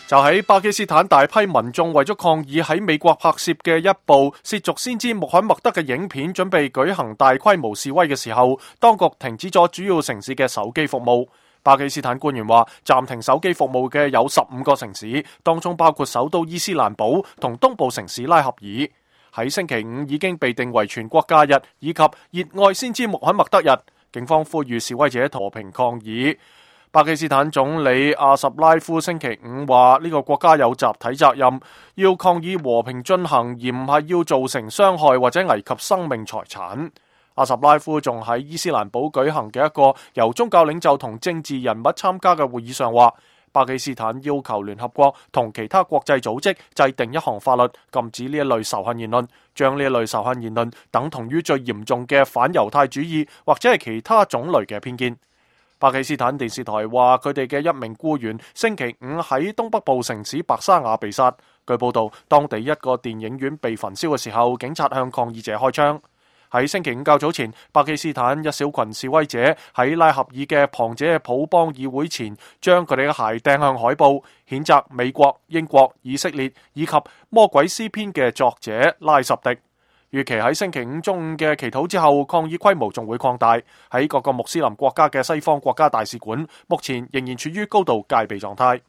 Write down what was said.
就喺巴基斯坦，大批民眾為咗抗議喺美國拍攝嘅一部褻瀆先知穆罕默德嘅影片，準備舉行大規模示威嘅時候，當局停止咗主要城市嘅手機服務。巴基斯坦官員話，暫停手機服務嘅有15個城市，當中包括首都伊斯蘭堡同東部城市拉合爾。喺星期五已經被定為全國假日，以及熱愛先知穆罕默德日。警方呼籲示威者和平抗議。巴基斯坦總理阿什拉夫星期五話，呢個國家有集體責任，要抗議和平進行，而唔係要造成傷害或者危及生命財產。阿什拉夫仲喺伊斯蘭堡舉行嘅一個由宗教領袖同政治人物參加嘅會議上話，巴基斯坦要求聯合國同其他國際組織制定一項法律，禁止呢一類仇恨言論，將呢一類仇恨言論等同於最嚴重嘅反猶太主義或者係其他種類嘅偏見。巴基斯坦電視台話，佢哋嘅一名僱員星期五喺東北部城市白沙瓦被殺。據報道，當地一個電影院被焚燒嘅時候，警察向抗議者開槍。喺星期五較早前，巴基斯坦一小群示威者喺拉合爾嘅旁遮普邦議會前，將佢哋嘅鞋掟向海報，譴責美國、英國、以色列以及《魔鬼詩篇》嘅作者拉什迪。預期喺星期五中午嘅祈禱之後，抗議規模仲會擴大。喺各個穆斯林國家嘅西方國家大使館，目前仍然處於高度戒備狀態。